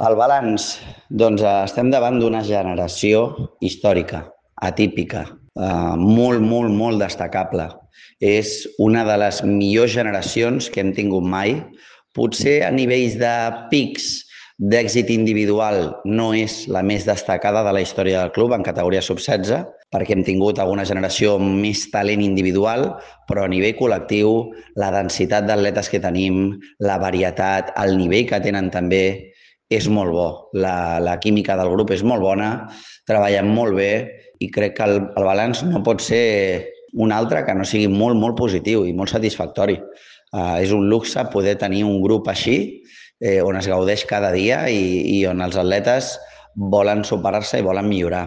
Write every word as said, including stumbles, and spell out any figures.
El balanç, doncs eh, estem davant d'una generació històrica, atípica, eh, molt, molt, molt destacable. És una de les millors generacions que hem tingut mai. Potser a nivells de pics d'èxit individual no és la més destacada de la història del club en categoria sub setze, perquè hem tingut alguna generació amb més talent individual, però a nivell col·lectiu, la densitat d'atletes que tenim, la varietat, el nivell que tenen també, és molt bo. La, la química del grup és molt bona, treballen molt bé i crec que el, el balanç no pot ser un altre que no sigui molt, molt positiu i molt satisfactori. Uh, és un luxe poder tenir un grup així, eh, on es gaudeix cada dia i, i on els atletes volen superar-se i volen millorar.